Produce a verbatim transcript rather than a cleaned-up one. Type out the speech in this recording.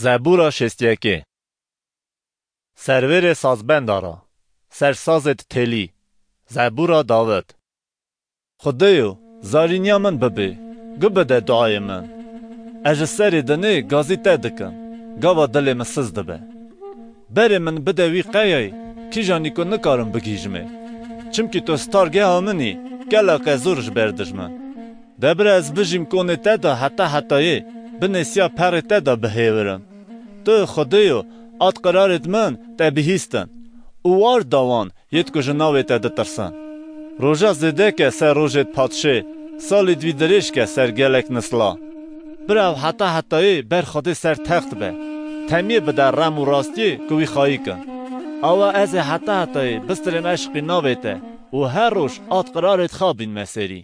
Zebûra şêst yekê. Servêrê sazbenda ra, ser sazêd têlî, zebûra Dawid. Xwedêyo, zarîniya min bibê, gu bide duayê min. Ez ji serê dinê gazî te dikim, gava dilê min siz dibe. Berê min bide wî qeyayê, kîjanî ku nikarim bigihîjimê. Çimkî tu stargeha min î, geleke zor ji ber dijmin. De bira ez bijîm konê te de heta hetayê, binê siya perê te de bihêwirim. Tu Xwedêyo, at qirarêd min te bihîstin û war dawan yêd ku ji navê te ditirsin. Roja zêdeke ser rojêd padşê, salêd wî dirêj ke ser gelek nisla. Bira ew heta hetayê ber Xwedê ser text be, temiyê bide rem û rastiyê ku wî xayî kin. Awa ez ê heta hetayê bistirêm eşqî navê te û her roj at qirarêd xa bînme serî.